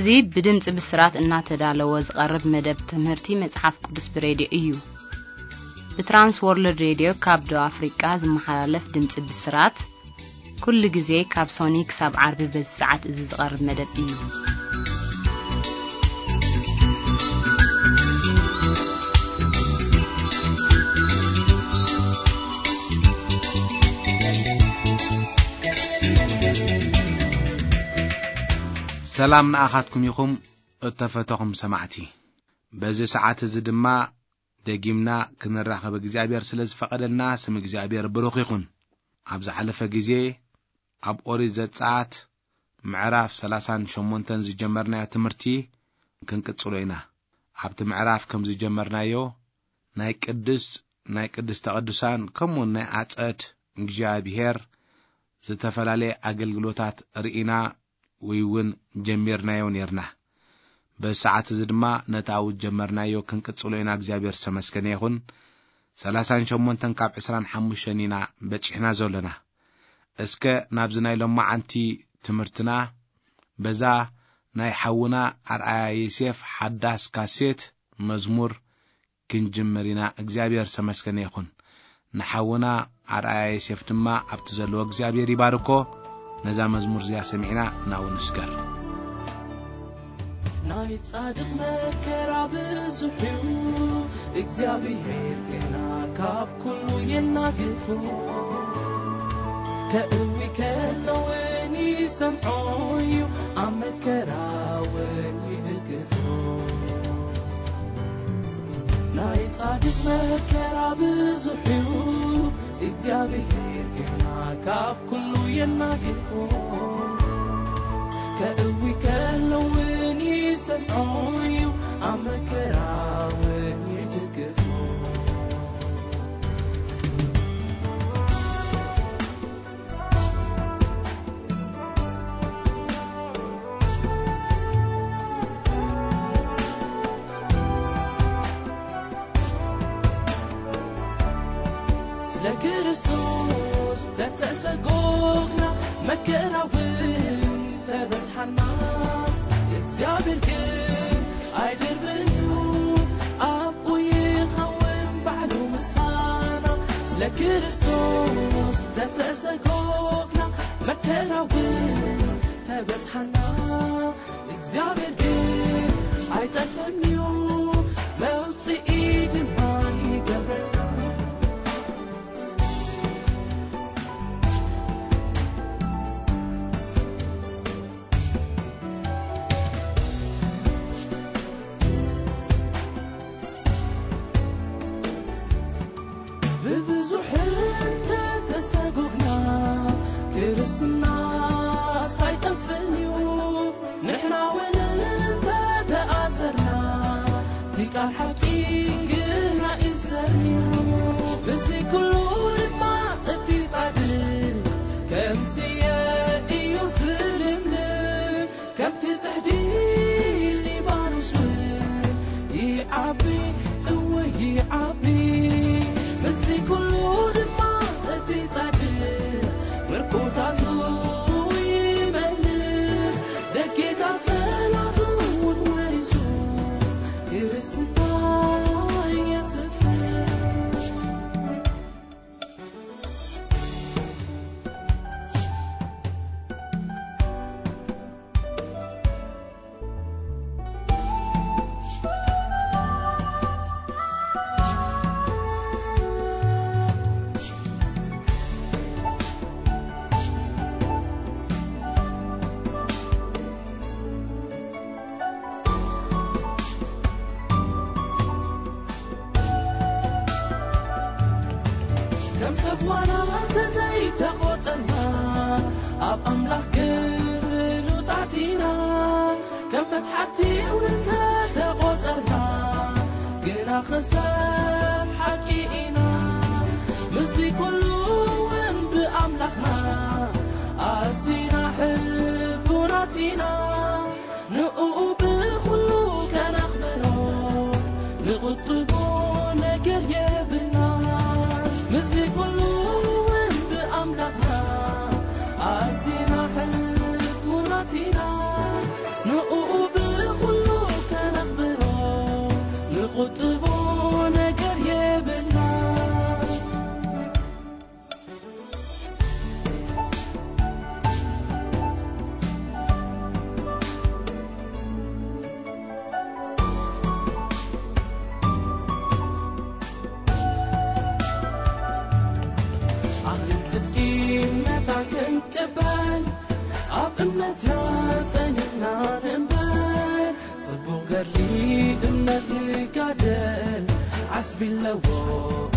እዚ ብድምጺ ብስራት እናተዳለወ ዝቐርብ መደብ ትምህርቲ መጽሓፍ ቅዱስ ብሬድዮ እዩ። ብትራንስ ወርልድ ሬድዮ ካብ ደቡብ ኣፍሪቃ ዝመሓላለፍ ድምጺ ብስራት፣ ኩሉ ግዜ ካብ ሶኒ ክሳብ ዓርቢ በዚ ሰዓት እዚ ዝቐርብ መደብ እዩ። ሰላም ንኣኻትኩም ይኹም እተፈተኹም ሰማዕቲ። በዚ ሰዓት እዚ ድማ ደጊምና ክንራኸብ እግዚኣብሔር ስለ ዝፈቐደልና ስም እግዚኣብሔር ብሩኽ ይኹን። ኣብ ዝሓለፈ ግዜ ኣብ ኦሪት ዘጸኣት ምዕራፍ ሰላሳን ሸሞንተን ዝጀመርናዮ ትምህርቲ ክንቅጽሎ ኢና። ኣብቲ ምዕራፍ ከም ዝጀመርናዮ ናይ ቅድስ ናይ ቅድስተ ቅዱሳን ከምኡውን ናይ ኣጸድ እግዚኣብሔር ዝተፈላለየ ኣገልግሎታት ርኢና ወይ እውን ጀሚርናዮ ነርና። በዚ ሰዓት እዚ ድማ ነቲ ኣብኡ ዝጀመርናዮ ክንቅጽሎ ኢና። እግዚኣብሔር ዝተመስገነ ይኹን። ሰላሳን ሸሞንተን ካብ ዕስራን ሓሙሽተን ኢና በጺሕና ዘሎና። እስከ ናብዚ ናይ ሎማዓንቲ ትምህርትና በዛ ናይ ሓውና ኣርኣያ ዮሴፍ ሓዳስ ካሴት መዝሙር ክንጅምር ኢና። እግዚኣብሔር ዝተመስገነ ይኹን። ንሓውና ኣርኣያ ዮሴፍ ድማ ኣብቲ ዘለዎ እግዚኣብሔር ይባርኮ። ነዛ መዝሙር እዚኣ ሰሚዕና ናብኡ ንስገር። ናይ ጻድቕ መከራ ብዙሕ እዩ፣ እግዚኣብሔር ግና ካብ ኩሉ የናግፎ። ከእዊ ከሎ እውን ይሰምዖ እዩ፣ ኣብ መከራ እውን ይድግፎ። ናይ ጻድቕ መከራ ብዙሕ እዩ፣ እግዚኣብሔር ግና ካብ ኩሉ የናግፎ። ከእዊ ከሎ እውን ይሰምዖ እዩ፣ ኣብ መከራ እውን ይድግፎ። ስለ ክርስቶስ ተተሰጎግና፣ መከራ እውን ተበጽሓና፣ እግዚኣብሔር ግን ኣይድርብን እዩ፣ ኣብኡ ይኸውን ባዕሉ ምሳና። ስለ ክርስቶስ ተተሰጎግና፣ መከራ እውን ተበጽሓና፣ እግዚኣብሔር ግን ኣይጠልምን እዩ፣ መውጽኢ ድማ ይገብረና። ብብዙሕ እንተተሰጎግና፣ ክርስትናስ ኣይጠፍእን እዩ። ንሕና እውን እንተተኣሰርና፣ እቲ ቃል ሓቂ ግና ይሰር እዩ። ብዚ ኩሉ ድማ እቲ ጻድቕ ከም ስየ እዩ ዝልምልም። ከምቲ ጽሕዲ ሊባኖስ እውን ይዓቢ፣ እወ ይዓቢ። ምስዚ ኩሉ ድማ እቲ ጻድቕ ምርኮታቱ ይመልስ። ደጌታት ጸላቱ እውን ወሪሱ ክርስትና የጽፍር። ከም ሰብ ዋላ እንተዘይተቖጸርና፣ ኣብ ኣምላኽ ግን ፍሉጣት ኢና። ከም መስሓቲ እውን እንተተቖጸርና፣ ግና ክሳብ ሓቂ ኢና። ምስዚ ኩሉ እውን ብኣምላኽና ኣዚና ሕቡናት ኢና። ንእኡ ብኹሉ ከነኽብሮ፣ ንቕጥቦ ነገር የብልና። ምስዚ ኩሉ እውን ብኣምላኽና ኣዚና ሕቡናት ኢና። ንእኡ መታን ክንቅበል ኣብ እምነትና ጸኒዕና ንንበር። ጽቡቕ ገድሊ እምነት ንጋደል፣ ዓስቢ ኣለዎ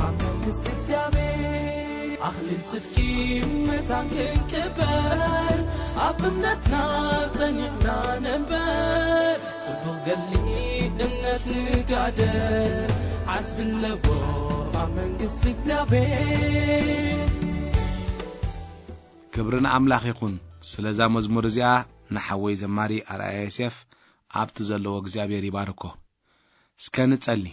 ኣብ መንግስቲ እግዚኣብሔር። ኣኽሊል ጽድቂ መታን ክንቅበል ኣብ እምነትና ጸኒዕና ንንበር። ጽቡቕ ገድሊ እምነት ንጋደል፣ ዓስቢ ኣለዎ ኣብ መንግስቲ እግዚኣብሔር። ክብሪ ንኣምላኽ ይኹን። ስለዛ መዝሙር እዚኣ ንሓወይ ዘማሪ ኣርኣያ ዮሴፍ ኣብቲ ዘለዎ እግዚኣብሔር ይባርኮ። እስከ ንጸሊ።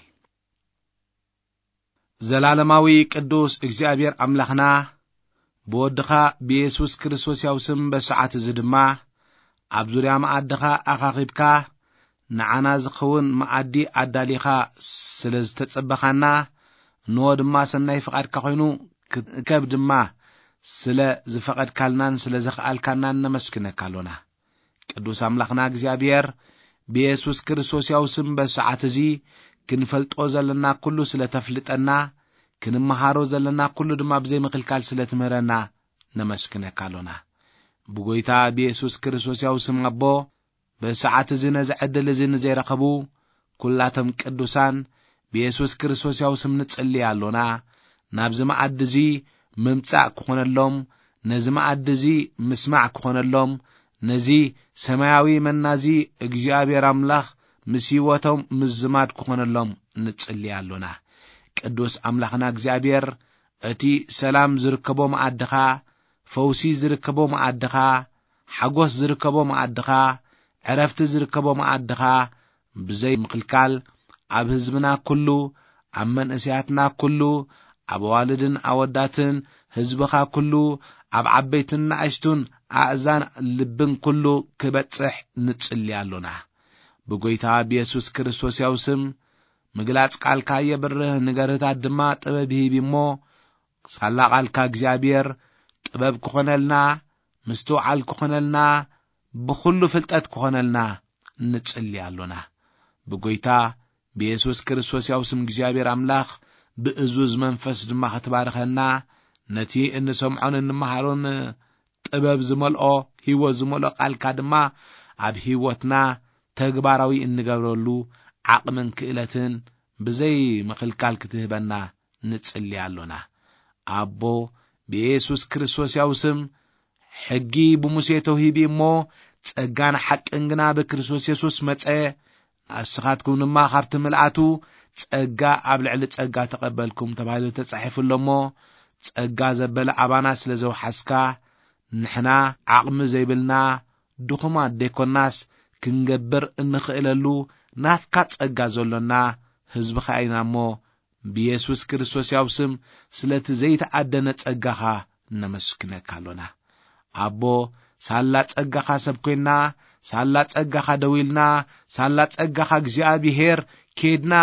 ዘላለማዊ ቅዱስ እግዚኣብሔር ኣምላኽና፣ ብወድኻ ብየሱስ ክርስቶስ ያው ስም በሰዓት እዚ ድማ ኣብ ዙርያ መኣድኻ ኣኻኺብካ ንዓና ዝኸውን መኣዲ ኣዳሊኻ ስለ ዝተጸበኻና፣ እንሆ ድማ ሰናይ ፍቓድካ ኮይኑ ክንእከብ ድማ ስለ ዝፈቐድካልናን ስለ ዘኽኣልካናን ነመስግነካ ኣሎና። ቅዱስ ኣምላኽና እግዚኣብሔር፣ ብየሱስ ክርስቶስ ያው ስም በሰዓት እዚ ክንፈልጦ ዘለና ኩሉ ስለ ተፍልጠና፣ ክንመሃሮ ዘለና ኩሉ ድማ ብዘይ ምኽልካል ስለ ትምህረና ነመስግነካ ኣሎና። ብጎይታ ብየሱስ ክርስቶስ ያው ስም ኣቦ፣ በሰዓት እዚ ነዚ ዕድል እዚ ንዘይረኸቡ ኩላቶም ቅዱሳን ብየሱስ ክርስቶስ ያው ስም ንጽሊ ኣሎና። ናብዚ መኣዲ እዚ ምምጻእ ክኾነሎም፣ ነዚ መኣዲ እዚ ምስማዕ ክኾነሎም፣ ነዚ ሰማያዊ መና እዚ እግዚኣብሔር ኣምላኽ ምስ ህይወቶም ምዝማድ ክኾነሎም ንጽሊ ኣሎና። ቅዱስ ኣምላኽና እግዚኣብሔር፣ እቲ ሰላም ዝርከቦ መኣድኻ፣ ፈውሲ ዝርከቦ መኣድኻ፣ ሓጎስ ዝርከቦ መኣድኻ፣ ዕረፍቲ ዝርከቦ መኣድኻ ብዘይ ምኽልካል ኣብ ህዝብና ኩሉ፣ ኣብ መንእሰያትና ኩሉ፣ ኣብ ኣዋልድን ኣወዳትን ህዝብኻ ኩሉ፣ ኣብ ዓበይትን ንኣሽቱን ኣእዛን ልብን ኩሉ ክበጽሕ ንጽሊ ኣሎና። ብጎይታ ብየሱስ ክርስቶስ ያው ስም፣ ምግላጽ ቃልካ የብርህ፣ ንገርህታት ድማ ጥበብ ይህብ እሞ፣ ሳላ ቃልካ እግዚኣብሔር ጥበብ ክኾነልና፣ ምስትውዓል ክኾነልና፣ ብኹሉ ፍልጠት ክኾነልና ንጽሊ ኣሎና። ብጎይታ ብየሱስ ክርስቶስ ያው ስም እግዚኣብሔር ኣምላኽ ብእዙዝ መንፈስ ድማ ክትባርኸና፣ ነቲ እንሰምዖን እንመሃሮን ጥበብ ዝመልኦ፣ ህይወት ዝመልኦ ቃልካ ድማ ኣብ ህይወትና ተግባራዊ እንገብረሉ ዓቕምን ክእለትን ብዘይ ምኽልካል ክትህበና ንጽሊ ኣሎና። ኣቦ፣ ብየሱስ ክርስቶስ ያው ስም፣ ሕጊ ብሙሴ ተውሂቡ እሞ፣ ጸጋን ሓቅን ግና ብክርስቶስ የሱስ መጸ። ንስኻትኩም ድማ ካብቲ ምልኣቱ ጸጋ ኣብ ልዕሊ ጸጋ ተቐበልኩም ተባሂሉ ተጻሒፉ ኣሎ እሞ፣ ጸጋ ዘበለ ኣባና ስለ ዘውሓስካ፣ ንሕና ዓቕሚ ዘይብልና ድኹማት ደይኮናስ፣ ክንገብር እንኽእለሉ ናትካ ጸጋ ዘሎና ህዝብኻ ኢና እሞ፣ ብየሱስ ክርስቶስ ያው ስም ስለቲ ዘይተኣደነ ጸጋኻ ነመስግነካ ኣሎና። ኣቦ፣ ሳላ ጸጋኻ ሰብ ኮይንና፣ ሳላ ጸጋኻ ደው ኢልና፣ ሳላ ጸጋኻ እግዚኣብሄር ኬድና፣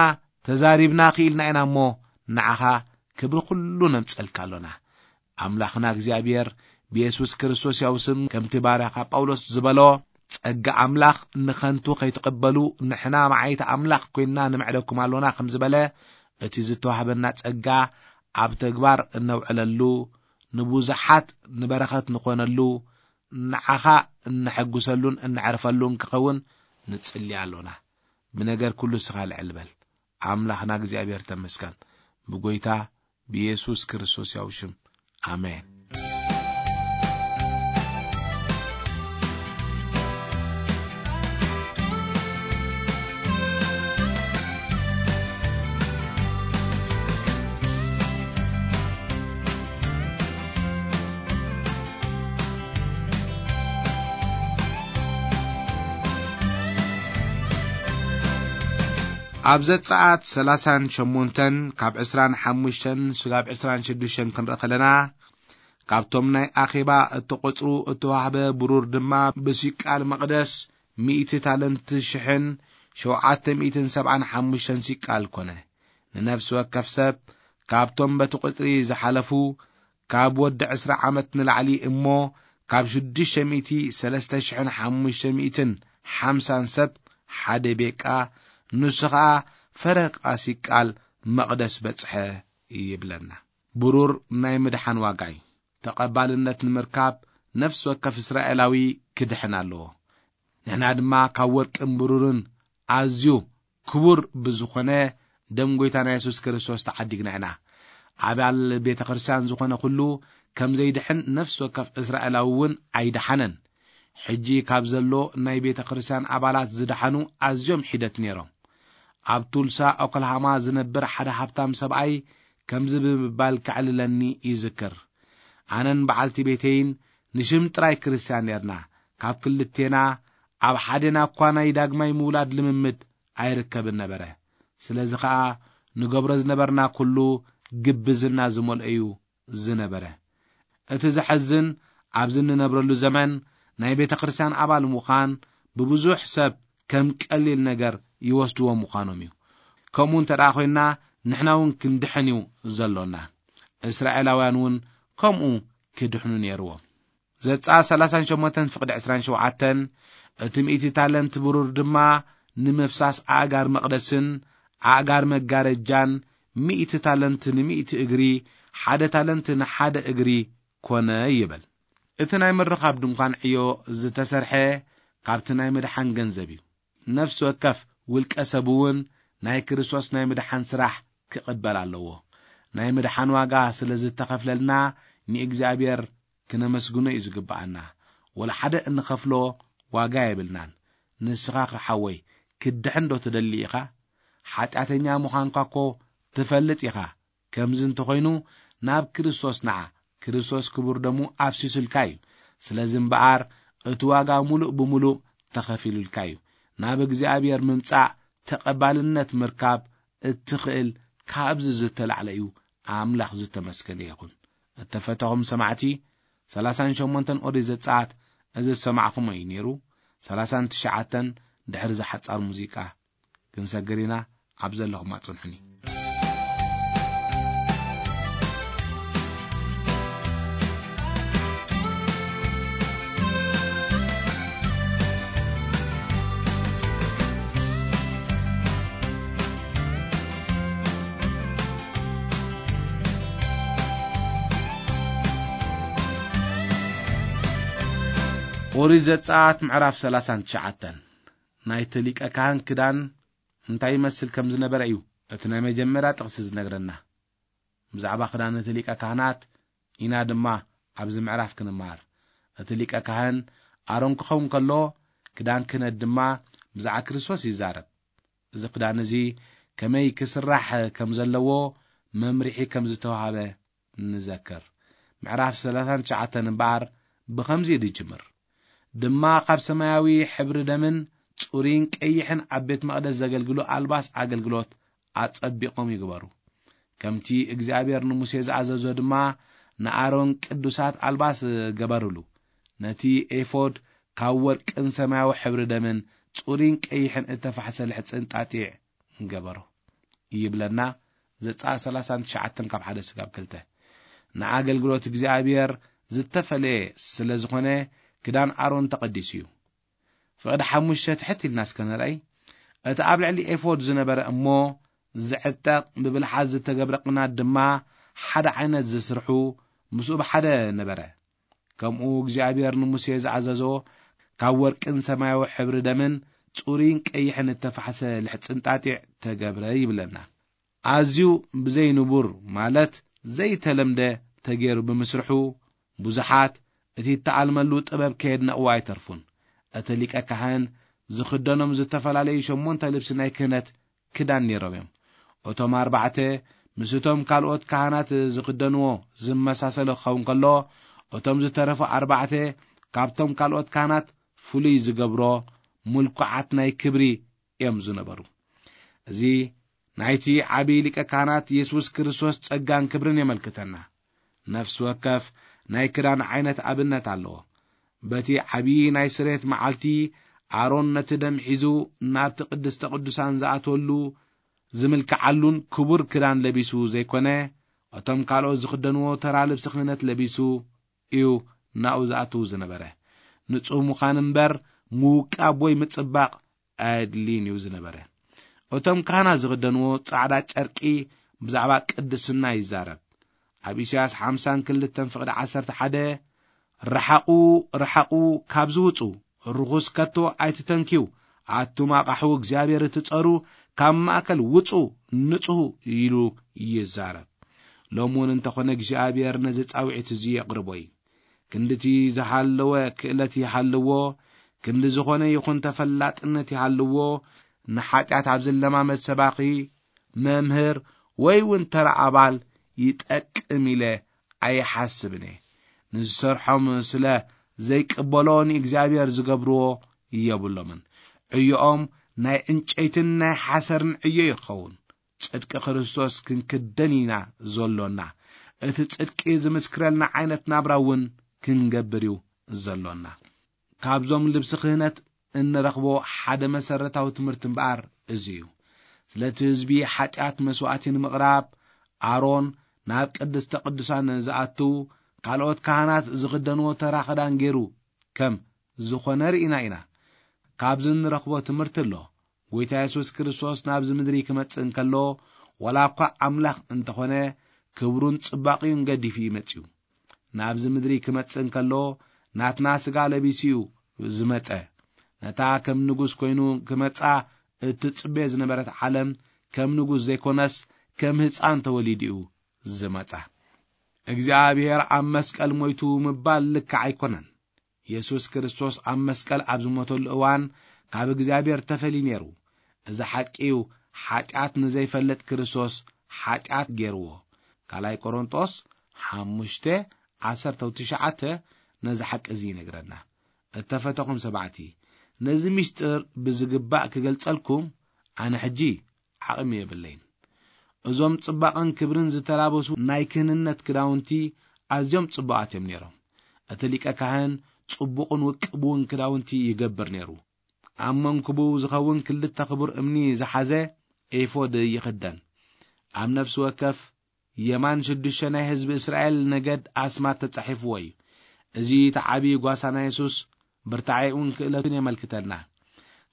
ተዛሪብና፣ ክኢልና ኢና እሞ፣ ንዓኻ ክብሪ ኩሉ ነምጸልካ ኣሎና። ኣምላኽና እግዚኣብሔር ብየሱስ ክርስቶስ ያው ስም፣ ከምቲ ባርያኻ ጳውሎስ ዝበሎ፣ ጸጋ ኣምላኽ ንኸንቱ ከይትቕበሉ፣ ንሕና መዓይቲ ኣምላኽ ኮይንና ንምዕደኩም ኣሎና ከም ዝበለ፣ እቲ ዝተዋህበና ጸጋ ኣብ ተግባር እነውዕለሉ፣ ንብዙሓት ንበረኸት ንኾነሉ፣ ንዓኻ እነሐጉሰሉን እነዕርፈሉን ክኸውን ንጽሊ ኣሎና። ብነገር ኩሉ እስኻ ልዕል በል። ኣምላኽና እግዚኣብሔር ተመስገን። ብጎይታ ብየሱስ ክርስቶስ ያው ሽም። ኣሜን። ኣብ ዘጸኣት ሰላሳን ሸሞንተን ካብ ዕስራን ሓሙሽተን ስጋብ ዕስራን ሽዱሽተን ክንርኢ ከለና፣ ካብቶም ናይ ኣኼባ እተቖጽሩ እተዋህበ ብሩር ድማ ብሲቃል መቕደስ ሚእቲ ታለንት ሽሕን ሸውዓተ ሚእትን ሰብዓን ሓሙሽተን ሲቃል ኮነ። ንነፍሲ ወከፍ ሰብ ካብቶም በቲ ቁጽሪ ዝሓለፉ ካብ ወዲ ዕስራ ዓመት ንላዕሊ እሞ ካብ ሽዱሽተ ሚእቲ ሰለስተ ሽሕን ሓሙሽተ ሚእትን ሓምሳን ሰብ ሓደ ቤቃ፣ ንሱ ኸኣ ፈረቓ ሲቃል መቕደስ በጽሐ ይብለና። ብሩር ናይ ምድሓን ዋጋ እዩ። ተቐባልነት ንምርካብ ነፍሲ ወከፍ እስራኤላዊ ክድሕን ኣለዎ። ንሕና ድማ ካብ ወርቅን ብሩርን ኣዝዩ ክቡር ብዝኾነ ደም ጐይታና የሱስ ክርስቶስ ተዓዲግና ኢና። ኣባል ቤተ ክርስቲያን ዝኾነ ኩሉ ከም ዘይድሕን ነፍሲ ወከፍ እስራኤላዊ እውን ኣይደሓነን። ሕጂ ካብ ዘሎ ናይ ቤተ ክርስቲያን ኣባላት ዝደሓኑ ኣዝዮም ሒደት ነይሮም። ኣብ ቱልሳ ኦክላሃማ ዝነብር ሓደ ሃብታም ሰብኣይ ከምዚ ብምባል ከዕልለኒ ይዝክር። ኣነን በዓልቲ ቤተይን ንሽም ጥራይ ክርስቲያን ነርና። ካብ ክልቴና ኣብ ሓዴና እኳ ናይ ዳግማይ ምውላድ ልምምድ ኣይርከብን ነበረ። ስለዚ ኸኣ ንገብሮ ዝነበርና ኩሉ ግብዝና ዝመልኦ እዩ ዝነበረ። እቲ ዘሐዝን፣ ኣብዚ እንነብረሉ ዘመን ናይ ቤተ ክርስቲያን ኣባል ምዃን ብብዙሕ ሰብ ከም ቀሊል ነገር ይወስድዎ ምዃኖም እዩ። ከምኡ እንተ ደኣ ኾይንና፣ ንሕና እውን ክንድሕን እዩ ዘሎና። እስራኤላውያን እውን ከምኡ ክድሕኑ ነይርዎም። ዘጸኣት ሰላሳን ሸሞንተን ፍቕዲ ዕስራን ሸውዓተን፣ እቲ ሚእቲ ታለንት ብሩር ድማ ንምፍሳስ ኣእጋር መቕደስን ኣእጋር መጋረጃን፣ ሚእቲ ታለንት ንሚእቲ እግሪ፣ ሓደ ታለንት ንሓደ እግሪ ኮነ ይብል። እቲ ናይ ምርኻብ ድንኳን ዕዮ ዝተሰርሐ ካብቲ ናይ ምድሓን ገንዘብ እዩ። ነፍሲ ወከፍ ውልቀ ሰብ እውን ናይ ክርስቶስ ናይ ምድሓን ስራሕ ክቕበል ኣለዎ። ናይ ምድሓን ዋጋ ስለ ዝተኸፍለልና ንእግዚኣብሔር ክነመስግኖ እዩ ዝግብኣና። ወላ ሓደ እንኸፍሎ ዋጋ የብልናን። ንስኻ ኸ ሓወይ፣ ክትድሕን ዶ ትደሊ ኢኻ? ሓጢኣተኛ ምዃንካ እኮ ትፈልጥ ኢኻ። ከምዚ እንተኾይኑ፣ ናብ ክርስቶስ ንዓ። ክርስቶስ ክቡር ደሙ ኣፍሲሱልካ እዩ። ስለዚ እምበኣር፣ እቲ ዋጋ ምሉእ ብምሉእ ተኸፊሉልካ እዩ። ናብ እግዚኣብሔር ምምጻእ፣ ተቐባልነት ምርካብ እትኽእል ካብዚ ዝተላዕለ እዩ። ኣምላኽ ዝተመስገነ ይኹን። እተፈተኹም ሰማዕቲ፣ ሰላሳን ሸሞንተን ኦሪት ዘጸኣት እዚ ዝሰማዕኹሞ እዩ ነይሩ። ሰላሳን ትሽዓተን ድሕሪ እዚ ሓጻር ሙዚቃ ክንሰግር ኢና። ኣብ ዘለኹም ኣጽንሑኒ። ኦሪት ዘጸኣት ምዕራፍ ሰላሳን ትሽዓተን። ናይቲ ሊቀ ካህን ክዳን እንታይ ይመስል ከም ዝነበረ እዩ እቲ ናይ መጀመርያ ጥቕሲ ዝነግረና። ብዛዕባ ክዳን እቲ ሊቀ ካህናት ኢና ድማ ኣብዚ ምዕራፍ ክንመሃር። እቲ ሊቀ ካህን ኣሮን ክኸውን ከሎ፣ ክዳን ክህነት ድማ ብዛዕባ ክርስቶስ ይዛረብ። እዚ ክዳን እዚ ከመይ ክስራሕ ከም ዘለዎ መምርሒ ከም ዝተዋህበ ንዘክር። ምዕራፍ ሰላሳን ትሽዓተን እምበኣር ብኸምዚ እዩ ዝጅምር። ድማ ካብ ሰማያዊ ሕብሪ ደምን ጽሩይን ቀይሕን ኣብ ቤት መቕደስ ዘገልግሉ ኣልባስ ኣገልግሎት ኣጸቢቖም ይግበሩ። ከምቲ እግዚኣብሔር ንሙሴ ዝኣዘዞ ድማ ንኣሮን ቅዱሳት ኣልባስ ገበሩሉ። ነቲ ኤፎድ ካብ ወርቅን ሰማያዊ ሕብሪ ደምን ጽሩይን ቀይሕን እተፋሕሰ ልሕጽን ጣጢዕ ገበሮ ይብለና። ዘጸኣት ሰላሳን ትሽዓተን ካብ ሓደ ስጋብ ክልተ። ንኣገልግሎት እግዚኣብሔር ዝተፈለየ ስለ ዝኾነ ክዳን ኣሮን ተቐዲሱ እዩ። ፍቕዲ ሓሙሽተ ትሕት ኢልና እስከ ንርኣይ። እቲ ኣብ ልዕሊ ኤፎድ ዝነበረ እሞ ዝዕጠቕ ብብልሓት ዝተገብረ ቅናት ድማ ሓደ ዓይነት ዝስርሑ ምስኡ ብሓደ ነበረ። ከምኡ እግዚኣብሔር ንሙሴ ዝኣዘዞ ካብ ወርቅን ሰማያዊ ሕብሪ ደምን ጽሩይን ቀይሕን እተፋሕሰ ልሕጽን ጣጢዕ ተገብረ ይብለና። ኣዝዩ ብዘይንቡር ማለት ዘይተለምደ ተገይሩ ብምስርሑ ብዙሓት እቲ እተኣልመሉ ጥበብ ከየድነቕዎ ኣይተርፉን። እቲ ሊቀ ካህን ዝኽደኖም ዝተፈላለዩ ሸሞንተ ልብሲ ናይ ክህነት ክዳን ነይሮም እዮም። እቶም ኣርባዕተ ምስ እቶም ካልኦት ካህናት ዝኽደንዎ ዝመሳሰሉ ክኸውን ከሎ፣ እቶም ዝተረፉ ኣርባዕተ ካብቶም ካልኦት ካህናት ፍሉይ ዝገብሮ ምልኩዓት ናይ ክብሪ እዮም ዝነበሩ። እዚ ናይቲ ዓብዪ ሊቀ ካህናት የሱስ ክርስቶስ ጸጋን ክብርን የመልክተና። ነፍሲ ወከፍ ናይ ክዳን ዓይነት ኣብነት ኣለዎ። በቲ ዓብዪ ናይ ስሬት መዓልቲ ኣሮን ነቲ ደም ሒዙ ናብቲ ቅድስተ ቅዱሳን ዝኣትወሉ ዝምልክዓሉን ክቡር ክዳን ለቢሱ ዘይኮነ፣ እቶም ካልኦት ዝኽደንዎ ተራ ልብሲ ክህነት ለቢሱ እዩ ናብኡ ዝኣትው ዝነበረ። ንጹህ ምዃን እምበር ምውቃብ ወይ ምጽባቕ ኣየድልይን እዩ ዝነበረ። እቶም ካህናት ዝኽደንዎ ጻዕዳ ጨርቂ ብዛዕባ ቅድስና ይዛረብ። ኣብ ኢሳያስ ሓምሳን ክልተን ፍቕዲ ዓሰርተ ሓደ፣ "ርሓቑ፣ ርሓቑ፣ ካብዚ ውጹ፣ ርኹስ ከቶ ኣይትተንክዩ፣ ኣቱም ኣቓሑ እግዚኣብሔር እትጸሩ፣ ካብ ማእከል ውጹ፣ ንጽሁ" ኢሉ ይዛረብ። ሎም እውን እንተኾነ እግዚኣብሔር ነዚ ጻውዒት እዚ የቕርቦ እዩ። ክንድቲ ዝሃለወ ክእለት ይሃልዎ፣ ክንዲ ዝኾነ ይኹን ተፈላጥነት ይሃልዎ፣ ንሓጢኣት ኣብ ዝለማመድ ሰባኺ፣ መምህር ወይ እውን ተራ ኣባል ይጠቅም ኢለ ኣይሓስብን እየ። ንዝሰርሖም ስለ ዘይቅበሎ ንእግዚኣብሔር ዝገብርዎ የብሎምን። ዕዮኦም ናይ ዕንጨይትን ናይ ሓሰርን ዕዮ ይኸውን። ጽድቂ ክርስቶስ ክንክደን ኢና ዘሎና። እቲ ጽድቂ ዝምስክረልና ዓይነት ናብራ እውን ክንገብር እዩ ዘሎና። ካብዞም ልብሲ ክህነት እንረኽቦ ሓደ መሰረታዊ ትምህርቲ እምበኣር እዚ እዩ። ስለቲ ህዝቢ ሓጢኣት መስዋእቲ ንምቕራብ ኣሮን ናብ ቅድስተ ቅዱሳን ዝኣትው ካልኦት ካህናት ዝኽደንዎ ተራ ክዳን ገይሩ ከም ዝኾነ ርኢና ኢና። ካብዚ እንረኽቦ ትምህርቲ ኣሎ። ጎይታ የሱስ ክርስቶስ ናብዚ ምድሪ ክመጽእ እንከሎ፣ ዋላ እኳ ኣምላኽ እንተኾነ፣ ክብሩን ጽባቕዩን ገዲፉ እዩ መጺኡ። ናብዚ ምድሪ ክመጽእ እንከሎ፣ ናትና ስጋ ለቢሱ እዩ ዝመጸ። ነታ ከም ንጉስ ኮይኑ ክመጻ እትጽበዮ ዝነበረት ዓለም፣ ከም ንጉስ ዘይኮነስ፣ ከም ህጻን ተወሊዱ እዩ ዝመጻ። እግዚኣብሔር ኣብ መስቀል ሞይቱ ምባል ልክዕ ኣይኮነን። የሱስ ክርስቶስ ኣብ መስቀል ኣብ ዝሞተሉ እዋን ካብ እግዚኣብሔር ተፈልዩ ነይሩ። እዚ ሓቂ እዩ፣ ሓጢኣት ንዘይፈልጥ ክርስቶስ ሓጢኣት ገይርዎ። ካልኣይ ቆሮንጦስ ሓሙሽተ ዓሰርተ ትሽዓተ ነዚ ሓቂ እዚ ይነግረና። እተፈተኹም ሰማዕቲ፣ ነዚ ምስጢር ብዝግባእ ክገልጸልኩም ኣነ ሕጂ ዓቕሚ የብለይን። እዞም ጽባቐን ክብርን ዝተላበሱ ናይ ክህንነት ክዳውንቲ ኣዝዮም ጽቡቓት እዮም ነይሮም። እቲ ሊቀ ካህን ጽቡቕን ውቅብውን ክዳውንቲ ይገብር ነይሩ። ኣብ መንኩቡ ዝኸውን ክልተ ክቡር እምኒ ዝሓዘ ኤፎድ ይኽደን። ኣብ ነፍሲ ወከፍ የማን ሽዱሽተ ናይ ህዝቢ እስራኤል ነገድ ኣስማት ተጻሒፍዎ እዩ። እዚ እቲ ዓቢ ጓሳ ናይ የሱስ ብርታዐኡን ክእለቱን የመልክተልና።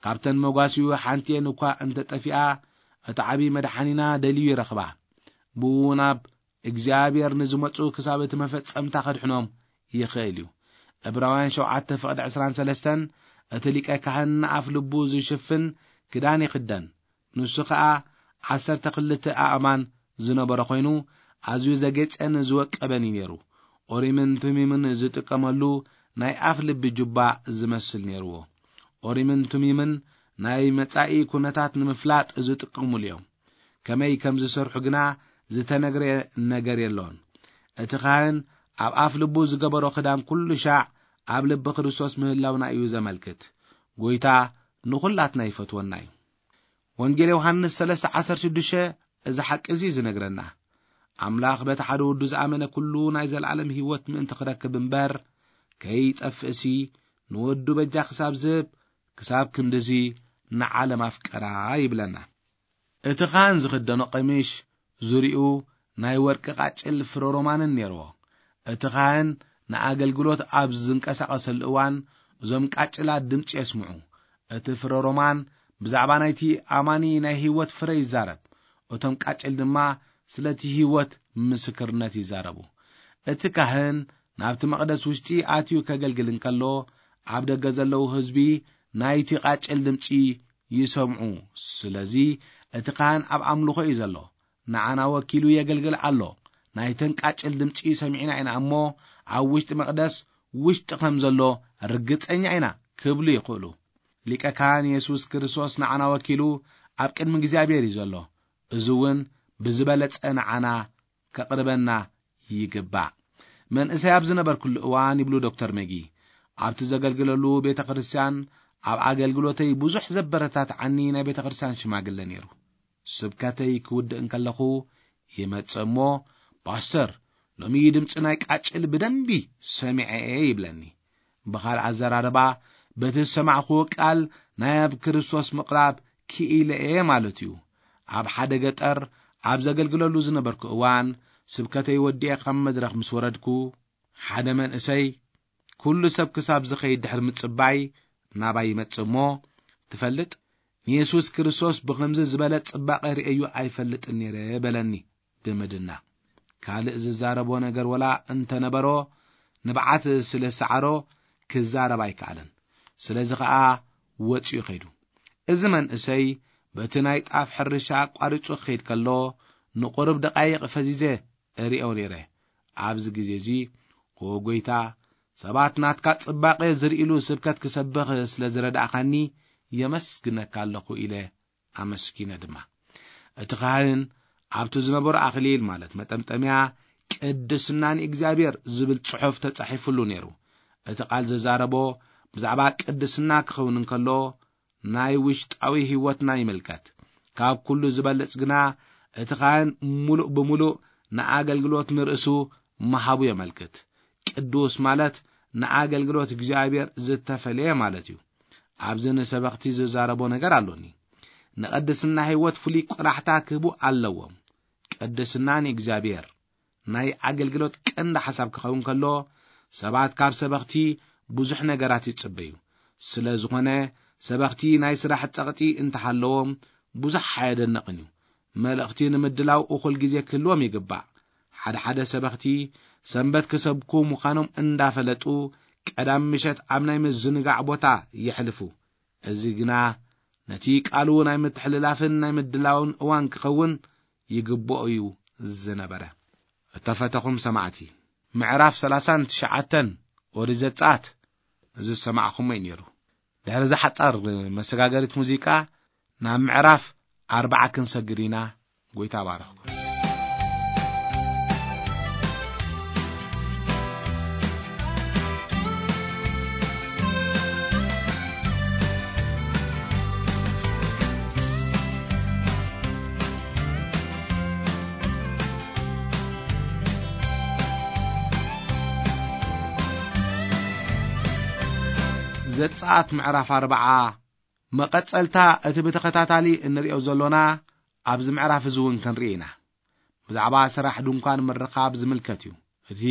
ካብተን መጓሲኡ ሓንቲኤን እኳ እንተጠፊኣ፣ እቲ ዓቢ መድሓኒና ደልዩ ይረኽባ። ብኡ ናብ እግዚኣብሔር ንዝመጹ ክሳብ እቲ መፈጸምታ ከድሕኖም ይኽእል እዩ። ዕብራውያን ሸውዓተ ፍቕዲ ዕስራን ሰለስተን፣ እቲ ሊቀ ካህን ንኣፍ ልቡ ዝሽፍን ክዳን ይኽደን። ንሱ ኸኣ ዓሰርተ ክልተ ኣእማን ዝነበሮ ኾይኑ፣ ኣዝዩ ዘጌጸን ዝወቀበን እዩ ነይሩ። ኦሪምን ቱሚምን ዝጥቀመሉ ናይ ኣፍ ልቢ ጁባ ዝመስል ነይርዎ። ኦሪምን ቱሚምን ናይ መጻኢ ኩነታት ንምፍላጥ ዝጥቀሙሉ እዮም። ከመይ ከም ዝሰርሑ ግና ዝተነግረ ነገር የሎን። እቲ ካህን ኣብ ኣፍ ልቡ ዝገበሮ ክዳን ኩሉ ሻዕ ኣብ ልቢ ክርስቶስ ምህላውና እዩ ዘመልክት። ጎይታ ንኹላትና ይፈትወና እዩ። ወንጌል ዮሃንስ ሰለስተ ዓሰርተ ሽዱሽተ እዚ ሓቂ እዚ ዝነግረና። ኣምላኽ በቲ ሓደ ወዱ ዝኣመነ ኩሉ ናይ ዘለኣለም ህይወት ምእንቲ ክረክብ እምበር ከይጠፍእሲ፣ ንወዱ በጃ ክሳብ ዝህብ፣ ክሳብ ክንድዚ ንዓለም ኣፍቀራ ይብለና። እቲ ካህን ዝኽደኖ ቀሚሽ ዙሪኡ ናይ ወርቂ ቃጭል ፍረ ሮማንን ነይርዎ። እቲ ካህን ንኣገልግሎት ኣብ ዝንቀሳቐሰሉ እዋን እዞም ቃጭላት ድምፂ የስምዑ። እቲ ፍረ ሮማን ብዛዕባ ናይቲ ኣማኒ ናይ ህይወት ፍረ ይዛረብ። እቶም ቃጭል ድማ ስለቲ ህይወት ምስክርነት ይዛረቡ። እቲ ካህን ናብቲ መቕደስ ውሽጢ ኣትዩ ከገልግል እንከሎ፣ ኣብ ደገ ዘለዉ ህዝቢ ናይቲ ቃጭል ድምፂ ይሰምዑ። ስለዚ እቲ ካህን ኣብ ኣምልኾ እዩ ዘሎ። ንዓና ወኪሉ የገልግል ኣሎ። ናይተን ቃጭል ድምፂ ሰሚዕና ኢና እሞ፣ ኣብ ውሽጢ መቕደስ ውሽጢ ከም ዘሎ ርግጸኛ ኢና ክብሉ ይኽእሉ። ሊቀ ካህን የሱስ ክርስቶስ ንዓና ወኪሉ ኣብ ቅድሚ እግዚኣብሔር እዩ ዘሎ። እዚ እውን ብዝበለጸ ንዓና ከቕርበና ይግባእ። መንእሰይ ኣብ ዝነበርኩሉ እዋን፣ ይብሉ ዶክተር መጊ፣ ኣብቲ ዘገልግለሉ ቤተ ክርስቲያን ኣብ ኣገልግሎተይ ብዙሕ ዘበረታትዓኒ ናይ ቤተ ክርስቲያን ሽማግለ ነይሩ። ስብከተይ ክውድእ እንከለኹ ይመጽእ እሞ፣ "ፓስተር፣ ሎሚ ድምጺ ናይ ቃጭል ብደንቢ ሰሚዐ እየ" ይብለኒ። ብኻልእ ኣዘራርባ፣ በቲ ዝሰማዕክዎ ቃል ናይ ኣብ ክርስቶስ ምቕራብ ክኢለ እየ ማለት እዩ። ኣብ ሓደ ገጠር ኣብ ዘገልግለሉ ዝነበርኩ እዋን፣ ስብከተይ ወዲኤ ካብ መድረኽ ምስ ወረድኩ፣ ሓደ መንእሰይ፣ ኩሉ ሰብ ክሳብ ዝኸይድ ድሕሪ ምጽባይ፣ ናባይ ይመጽእ እሞ፣ "ትፈልጥ፣ ንየሱስ ክርስቶስ ብኸምዚ ዝበለ ጽባቐ ርእየዮ ኣይፈልጥን ነይረ" በለኒ ብምድናቕ። ካልእ ዝዛረቦ ነገር ወላ እንተነበሮ፣ ንብዓት ስለ ዝሰዓሮ ክዛረብ ኣይከኣለን። ስለዚ ኸኣ ወጺኡ ኸይዱ። እዚ መንእሰይ በቲ ናይ ጣፍ ሕርሻ ኣቋሪጹ ክኸይድ ከሎ፣ ንቑሩብ ደቓይቕ ፈዚዘ እርእዮ ነይረ። ኣብዚ ግዜ እዚ፣ "ኦ ጐይታ፣ ሰባት ናትካ ጽባቐ ዝርእይሉ ስብከት ክሰብኽ ስለ ዝረዳእኻኒ የመስግነካ ኣለኹ" ኢለ ኣመስጊነ ድማ። እቲ ካህን ኣብቲ ዝነበሮ ኣኽሊል፣ ማለት መጠምጠምያ፣ "ቅድስና ንእግዚኣብሔር" ዝብል ጽሑፍ ተጻሒፉሉ ነይሩ። እቲ ቃል ዘዛረቦ ብዛዕባ ቅድስና ክኸውን እንከሎ፣ ናይ ውሽጣዊ ህይወትና ይምልከት። ካብ ኩሉ ዝበልጽ ግና፣ እቲ ካህን ምሉእ ብምሉእ ንኣገልግሎት ንርእሱ ምሃቡ የመልክት። ቅዱስ ማለት ንኣገልግሎት እግዚኣብሔር ዝተፈለየ ማለት እዩ። ኣብዚ ንሰበኽቲ ዝዛረቦ ነገር ኣሎኒ። ንቅድስና ህይወት ፍሉይ ቆላሕታ ክህቡ ኣለዎም። ቅድስና ንእግዚኣብሔር ናይ ኣገልግሎት ቀንዲ ሓሳብ ክኸውን ከሎ፣ ሰባት ካብ ሰበኽቲ ብዙሕ ነገራት ይጽበዩ። ስለ ዝኾነ፣ ሰበኽቲ ናይ ስራሕ ጸቕጢ እንተሃለዎም ብዙሕ ኣየደንቕን እዩ። መልእኽቲ ንምድላው እኹል ግዜ ክህልዎም ይግባእ። ሓደ ሓደ ሰበኽቲ ሰንበት ክሰብኩ ምዃኖም እንዳፈለጡ፣ ቀዳም ምሸት ኣብ ናይ ምዝንጋዕ ቦታ የሕልፉ። እዚ ግና ነቲ ቃሉ ናይ ምትሕልላፍን ናይ ምድላውን እዋን ክኸውን ይግብኦ እዩ ዝነበረ። እተፈተኹም ሰማዕቲ፣ ምዕራፍ ሰላሳን ትሽዓተን ኦሪት ዘጸኣት እዚ ዝሰማዕኹሞ እዩ ነይሩ። ድሕሪ እዛ ሓጻር መሰጋገሪት ሙዚቃ፣ ናብ ምዕራፍ ኣርብዓ ክንሰግር ኢና። ጎይታ ባረኽኩም። ዘጸኣት ምዕራፍ ኣርብዓ፣ መቐጸልታ እቲ ብተኸታታሊ እንርእዮ ዘሎና ኣብዚ ምዕራፍ እዚ እውን ክንርኢ ኢና። ብዛዕባ ስራሕ ድንኳን ምርኻብ ዝምልከት እዩ እቲ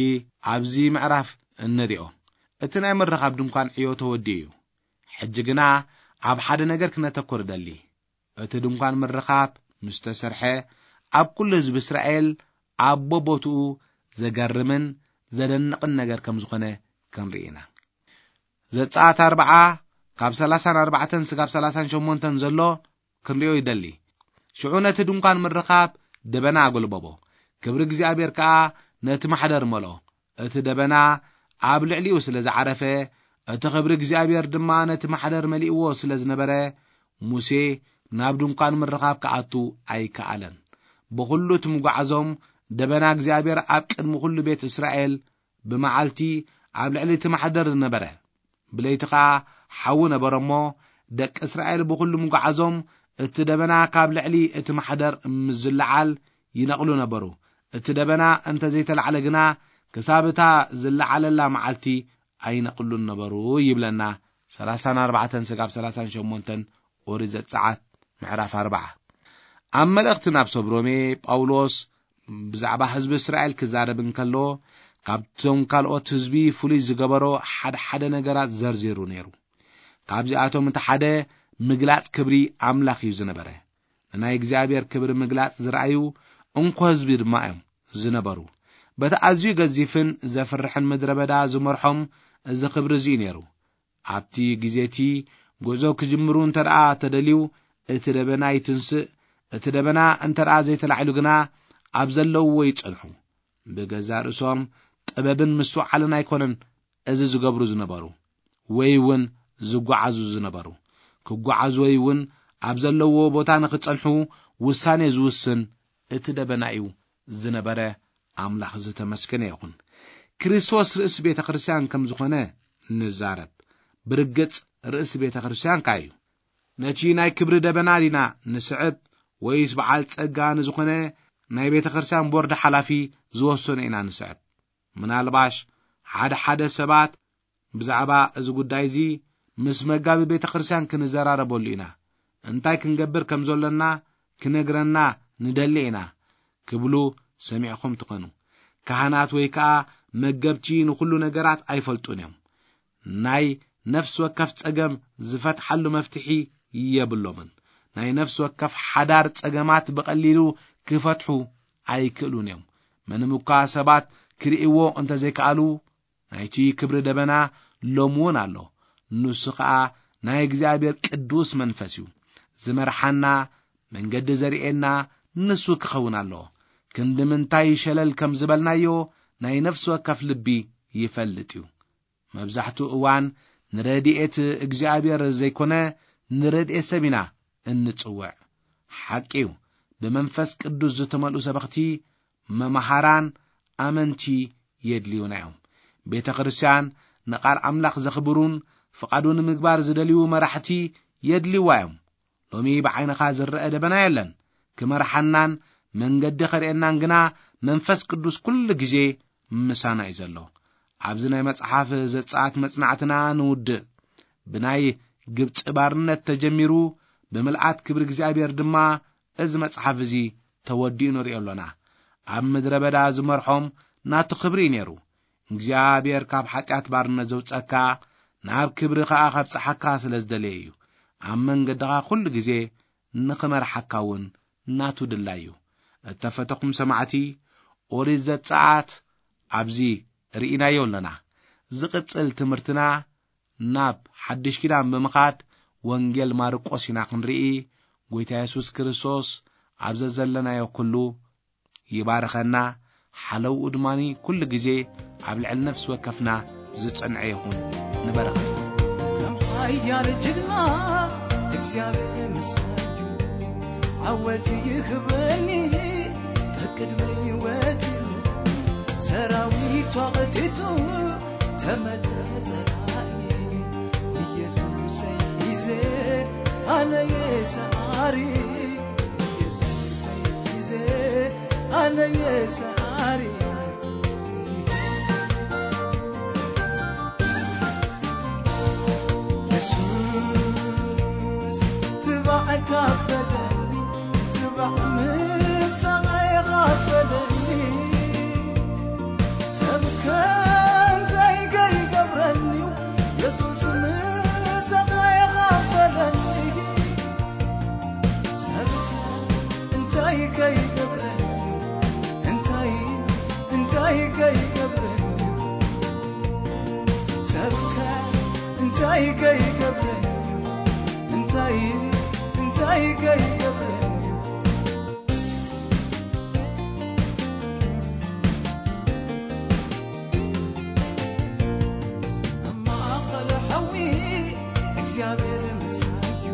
ኣብዚ ምዕራፍ እንርእዮ። እቲ ናይ ምርኻብ ድንኳን ዕዮ ተወዲኡ እዩ። ሕጂ ግና ኣብ ሓደ ነገር ክነተኩር እደሊ። እቲ ድንኳን ምርኻብ ምስ ተሰርሐ፣ ኣብ ኩሉ ህዝቢ እስራኤል ኣብ ቦቦትኡ ዘገርምን ዘደንቕን ነገር ከም ዝኾነ ክንርኢ ኢና። ዘጸኣት ኣርብዓ፣ ካብ ሰላሳን ኣርባዕተን ስጋብ ሰላሳን ሸሞንተን ዘሎ ክንርእዮ ይደሊ። ሽዑ ነቲ ድንኳን ምርኻብ ደበና ኣጎልበቦ፣ ክብሪ እግዚኣብሔር ከኣ ነቲ ማሕደር መልኦ። እቲ ደበና ኣብ ልዕሊኡ ስለ ዝዓረፈ፣ እቲ ክብሪ እግዚኣብሔር ድማ ነቲ ማሕደር መሊእዎ ስለ ዝነበረ፣ ሙሴ ናብ ድንኳን ምርኻብ ክኣቱ ኣይከኣለን። ብኹሉ እቲ ምጓዓዞም፣ ደበና እግዚኣብሔር ኣብ ቅድሚ ኩሉ ቤት እስራኤል ብመዓልቲ ኣብ ልዕሊ እቲ ማሕደር ነበረ፣ ብለይቲ ኸኣ ሓዊ ነበረ እሞ፣ ደቂ እስራኤል ብኹሉ ምጓዓዞም እቲ ደበና ካብ ልዕሊ እቲ ማሕደር ምስ ዝለዓል ይነቕሉ ነበሩ። እቲ ደበና እንተ ዘይተላዕለ ግና፣ ክሳብ እታ ዝለዓለላ መዓልቲ ኣይነቕሉን ነበሩ ይብለና። ሰላሳን ኣርባዕተን ስጋብ ሰላሳን ሸሞንተን ኦሪት ዘጸኣት ምዕራፍ ኣርብዓ። ኣብ መልእኽቲ ናብ ሰብ ሮሜ ጳውሎስ ብዛዕባ ህዝቢ እስራኤል ክዛረብ እንከሎ፣ ካብቶም ካልኦት ህዝቢ ፍሉይ ዝገበሮ ሓደ ሓደ ነገራት ዘርዚሩ ነይሩ። ካብዚኣቶም እቲ ሓደ ምግላጽ ክብሪ ኣምላኽ እዩ ዝነበረ። ንናይ እግዚኣብሔር ክብሪ ምግላጽ ዝረኣዩ እንኮ ህዝቢ ድማ እዮም ዝነበሩ። በቲ ኣዝዩ ገዚፍን ዘፍርሕን ምድረ በዳ ዝመርሖም እዚ ክብሪ እዚ እዩ ነይሩ። ኣብቲ ግዜ እቲ ጉዕዞ ክጅምሩ እንተ ደኣ ተደልዩ፣ እቲ ደበና ይትንስእ። እቲ ደበና እንተ ደኣ ዘይተላዒሉ ግና፣ ኣብ ዘለውዎ ይጸንሑ። ብገዛእ ርእሶም ጥበብን ምስትውዓልን ኣይኮነን እዚ ዝገብሩ ዝነበሩ፣ ወይ እውን ዝጓዓዙ ዝነበሩ። ክጓዓዙ ወይ እውን ኣብ ዘለውዎ ቦታ ንኽጸንሑ ውሳኔ ዝውስን እቲ ደበና እዩ ዝነበረ። ኣምላኽ ዝተመስገነ ይኹን። ክርስቶስ ርእሲ ቤተ ክርስቲያን ከም ዝኾነ ንዛረብ። ብርግጽ ርእሲ ቤተ ክርስቲያን ከኣ እዩ። ነቲ ናይ ክብሪ ደበና ዲና ንስዕብ፣ ወይስ በዓል ጸጋ ንዝኾነ ናይ ቤተ ክርስቲያን ቦርድ ሓላፊ ዝወሰኖ ኢና ንስዕብ? ምናልባሽ ሓደ ሓደ ሰባት ብዛዕባ እዚ ጉዳይ እዚ ምስ መጋቢ ቤተ ክርስቲያን ክንዘራረበሉ ኢና፣ እንታይ ክንገብር ከም ዘሎና ክነግረና ንደሊ ኢና ክብሉ ሰሚዕኹም ትኾኑ። ካህናት ወይ ከኣ መገብቲ ንኹሉ ነገራት ኣይፈልጡን እዮም። ናይ ነፍሲ ወከፍ ጸገም ዝፈትሓሉ መፍትሒ የብሎምን። ናይ ነፍሲ ወከፍ ሓዳር ጸገማት ብቐሊሉ ክፈትሑ ኣይክእሉን እዮም። ምንም እኳ ሰባት ክርእይዎ እንተዘይከኣሉ፣ ናይቲ ክብሪ ደበና ሎሚ እውን ኣሎ። ንሱ ኸኣ ናይ እግዚኣብሔር ቅዱስ መንፈስ እዩ። ዝመርሓና፣ መንገዲ ዘርእየና ንሱ ክኸውን ኣለዎ። ክንዲ ምንታይ ሸለል ከም ዝበልናዮ ናይ ነፍሲ ወከፍ ልቢ ይፈልጥ እዩ። መብዛሕትኡ እዋን ንረድኤት እግዚኣብሔር ዘይኮነ ንረድኤት ሰብ ኢና እንጽውዕ። ሓቂ እዩ፣ ብመንፈስ ቅዱስ ዝተመልኡ ሰበኽቲ፣ መምሃራን፣ ኣመንቲ የድልዩና እዮም። ቤተ ክርስቲያን ንቓል ኣምላኽ ዘኽብሩን ፍቓዱ ንምግባር ዝደልዩ መራሕቲ የድልይዋ እዮም። ሎሚ ብዓይንኻ ዝረአ ደበና የለን። ክመርሓናን መንገዲ ኸርእየናን ግና መንፈስ ቅዱስ ኩሉ ግዜ ምሳና እዩ ዘሎ። ኣብዚ ናይ መጽሓፍ ዘጸኣት መጽናዕትና ንውድእ። ብናይ ግብጺ ባርነት ተጀሚሩ፣ ብምልኣት ክብሪ እግዚኣብሔር ድማ እዚ መጽሓፍ እዚ ተወዲኡ ንርእዮ ኣሎና። ኣብ ምድረ በዳ ዝመርሖም ናቱ ክብሪ እዩ ነይሩ። እግዚኣብሔር ካብ ሓጢኣት ባርነት ዘውጸካ፣ ናብ ክብሪ ኸኣ ከብጽሓካ ስለ ዝደለየ እዩ። ኣብ መንገድኻ ኩሉ ግዜ ንኽመርሓካ እውን ናቱ ድላይ እዩ። እተፈተኹም ሰማዕቲ፣ ኦሪት ዘጸኣት ኣብዚ ርኢናዮ ኣሎና። ዝቕጽል ትምህርትና ናብ ሓድሽ ኪዳን ብምኻድ ወንጌል ማርቆስ ኢና ክንርኢ። ጐይታ የሱስ ክርስቶስ ኣብ ዘዘለናዮ ኩሉ ይባርኸና። ሓለውኡ ድማኒ ኩሉ ግዜ ኣብ ልዕሊ ነፍሲ ወከፍና ዝጸንዐ ይኹን። ንበረኸት። ከም ሓያል ጅግና እግዚኣብሔር ምሳዩ ዓወት ይኽበኒ። ቅድሚ ህይወት ሰራዊቱ ኣቐቲቱ ተመተ ጸላኢ። ኢየሱሰይ ሒዘ ኣነ የሰዓሪ። ኢየሱሰይ ሒዘ ኣነ የሰዓሪ። ኢየሱስ ትባዕ ካፈለኒ፣ ትባዕ ምሳቐ ካፈለኒ። ሰብከ እንታይ ከይገብረኒ፣ የሱስ ምሳቐ ካፈለኒ። ሰብከ እንታይ ከይገብረኒ፣ እንታይ፣ እንታይ ከይገብረኒ። ሰብከ እንታይ ከይገብረኒ፣ እንታይ፣ እንታይ ከይገብረኒ። ኣብ ማእኸል ሓዊ እግዚኣብሔር ምሳዩ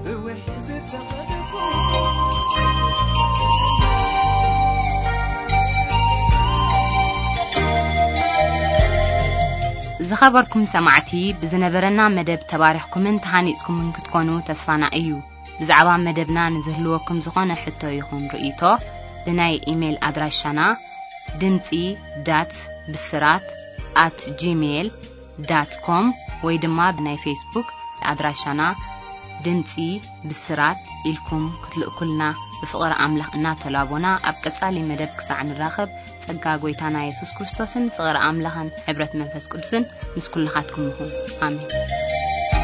ብውሒ ዝተኸልኩ። ዝኸበርኩም ሰማዕቲ፣ ብዝነበረና መደብ ተባሪኽኩምን ተሃኒጽኩምን ክትኮኑ ተስፋና እዩ። ብዛዕባ መደብና ንዝህልወኩም ዝኾነ ሕቶ ይኹን ርእይቶ፣ ብናይ ኢሜይል ኣድራሻና ድምጺ ዳት ብስራት ኣት ጂሜይል ዳት ኮም ወይ ድማ ብናይ ፌስቡክ ኣድራሻና ድምጺ ብስራት ኢልኩም ክትልእኩልና ብፍቕሪ ኣምላኽ እናተላቦና፣ ኣብ ቀጻሊ መደብ ክሳዕ ንራኸብ፣ ጸጋ ጐይታና የሱስ ክርስቶስን ፍቕሪ ኣምላኽን ሕብረት መንፈስ ቅዱስን ምስ ኩልኻትኩም ይኹን። ኣሜን።